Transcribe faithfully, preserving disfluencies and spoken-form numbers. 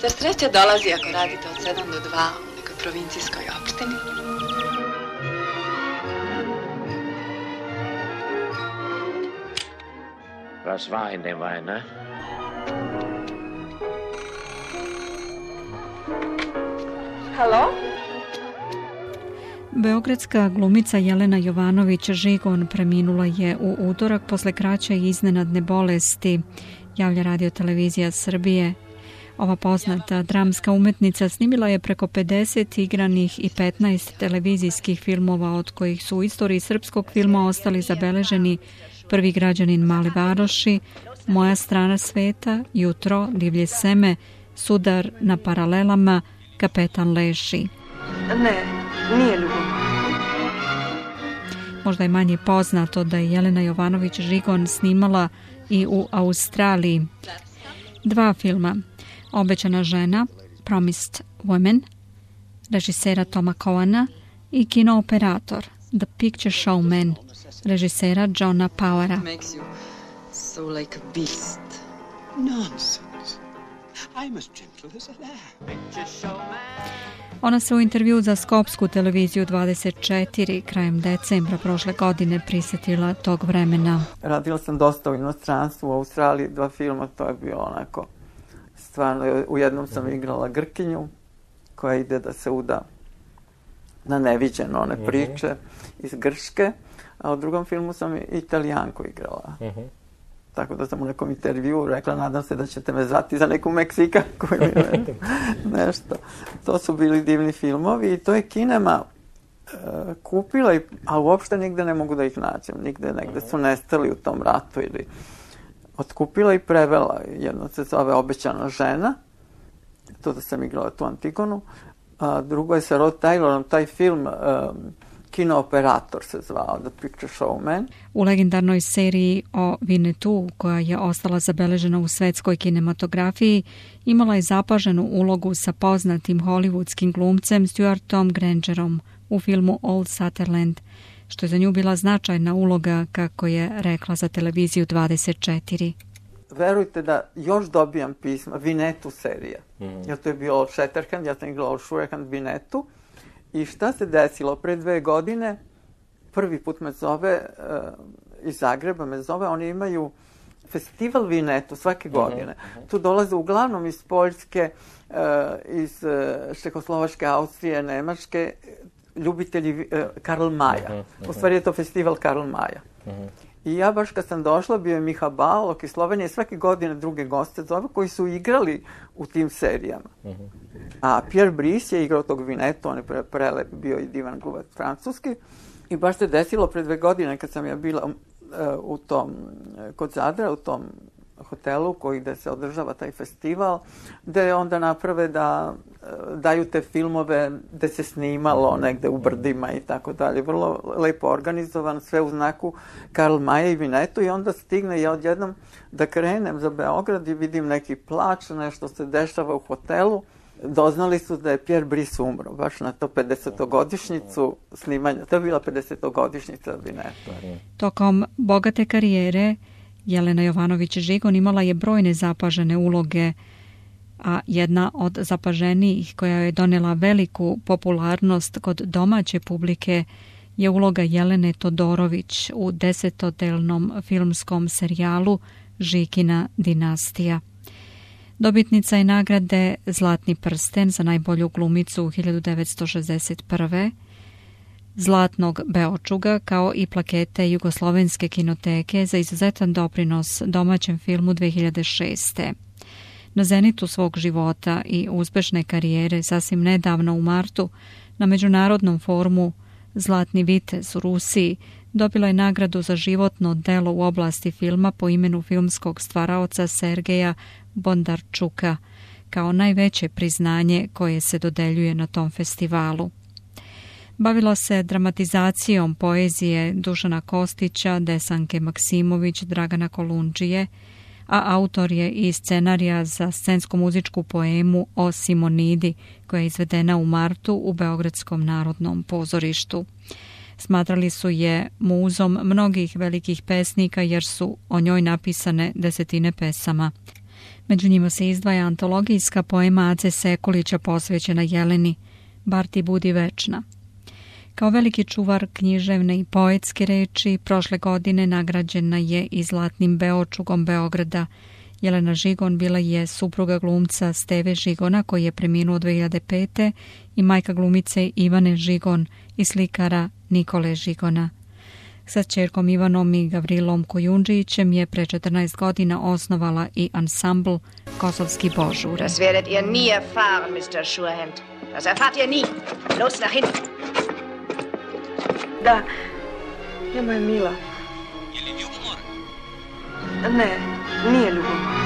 Zar sreća dolazi ako radite od sedam do dva u nekoj provincijskoj opštini? Was war in dem Wein, ne? Halo? Beogradska glumica Jelena Jovanović-Žigon preminula je u utorak posle kraće i iznenadne bolesti, javlja Radio Televizija Srbije. Ova poznata dramska umetnica snimila je preko pedeset igranih i petnaest televizijskih filmova, od kojih su u istoriji srpskog filma ostali zabeleženi Prvi građanin Male Varoši, Moja strana sveta, Jutro, Divlje seme, Sudar na paralelama, Kapetan Leši. Ne, nije ljubav. Možda je manje poznato da je Jelena Jovanović-Žigon snimala i u Australiji. Dva filma, Obećana žena, Promised Woman, režisera Toma Cohena, i Kino operator, The Picture Showman, režisera Johna Powera. Makes you so like a beast. Nonsense. I'm as gentle as a lamb. Ona se u intervju za Skopsku televiziju dvadeset četiri krajem decembra prošle godine prisjetila tog vremena. Radila sam dosta u inostranstvu, u Australiji, dva filma, to je bilo onako stvarno. U jednom sam igrala Grkinju koja ide da se uda na neviđeno one priče iz Grčke, a u drugom filmu sam Italijanku igrala. Uh-huh. Tako da sam u nekom intervjuu rekla, nadam se da ćete me zvati za neku Meksikanku ili nešto. To su bili divni filmovi i to je Kinema uh, kupila, i, a uopšte nigde ne mogu da ih nađem. Nigde, negde su nestali u tom ratu ili otkupila i prevela. Jedno se zove Obećana žena, to da sam igrala tu Antigonu, a drugo je sa Rod Taylorom, taj film um, Kino operator se zvao, The Picture Showman. U legendarnoj seriji o Winnetou, koja je ostala zabeležena u svetskoj kinematografiji, imala je zapaženu ulogu sa poznatim hollywoodskim glumcem Stuartom Grangerom u filmu Old Sutherland, što je za nju bila značajna uloga, kako je rekla za televiziju dvadeset četiri. Verujte da još dobijam pisma, Winnetou serija. Mm. Jer to je bio Old Shatterhand, ja sam igrala Old Shatterhand Winnetou. I šta se desilo? Pre dve godine, prvi put me zove, uh, iz Zagreba me zove, oni imaju festival Winnetou svake godine. Uh-huh. Tu dolaze uglavnom iz Poljske, uh, iz uh, Čehoslovačke, Austrije, Nemačke, ljubitelji uh, Karl Maja. Uh-huh. U stvari je to festival Karl Maja. Uh-huh. I ja baš kad sam došla, bio je Miha Balog iz Slovenije, svake godine druge goste zove koji su igrali u tim serijama. Uh-huh. A Pierre Brice je igrao tog Winnetou, on je pre, prelep, bio i divan glumac francuski. I baš se desilo pre dve godine kad sam ja bila uh, u tom, kod Zadra, u tom hotelu koji gde se održava taj festival, gde onda naprave da uh, daju te filmove gde se snimalo negde u brdima i tako dalje. Vrlo lepo organizovan, sve u znaku Karl Maja i Winnetou, i onda stigne ja odjednom da krenem za Beograd i vidim neki plač, nešto se dešava u hotelu. Doznali su da je Pierre Brice umro, baš na to pedesetogodišnjicu snimanja. To je bila pedesetogodišnjica Winnetou. Tokom bogate karijere Jelena Jovanović-Žigon imala je brojne zapažene uloge, a jedna od zapaženijih koja je donela veliku popularnost kod domaće publike je uloga Jelene Todorović u desetodelnom filmskom serijalu Žikina dinastija. Dobitnica je nagrade Zlatni prsten za najbolju glumicu u hiljadu devetsto šezdeset prve, Zlatnog Beočuga, kao i plakete Jugoslovenske kinoteke za izuzetan doprinos domaćem filmu dve hiljade šeste. Na zenitu svog života i uspešne karijere sasvim nedavno u martu na Međunarodnom forumu Zlatni vitez u Rusiji dobila je nagradu za životno delo u oblasti filma po imenu filmskog stvaraoca Sergeja Bondarčuka, kao najveće priznanje koje se dodeljuje na tom festivalu. Bavila se dramatizacijom poezije Dušana Kostića, Desanke Maksimović, Dragana Kolundžije, a autor je i scenarija za scensko-muzičku poemu o Simonidi, koja je izvedena u martu u Beogradskom narodnom pozorištu. Smatrali su je muzom mnogih velikih pesnika jer su o njoj napisane desetine pesama. Među njima se izdvaja antologijska poema Ace Sekulića posvećena Jeleni, Bar ti budi večna. Kao veliki čuvar književne i poetske reči, prošle godine nagrađena je i Zlatnim Beočugom Beograda. Jelena Žigon bila je supruga glumca Steve Žigona, koji je preminuo dve hiljade pete. i majka glumice Ivane Žigon i slikara Nikole Žigona. Sa ćerkom Ivanom i Gavrilom Kojundžićem je pre četrnaest godina osnovala i ansambl Kosovski Božure. Das werdet ihr nie erfahren, mister Schurhand. Das erfahrt ihr nie. Los nach hinten. Da, ja moja mila. Je li ljubomor? Ne, nije ljubomor.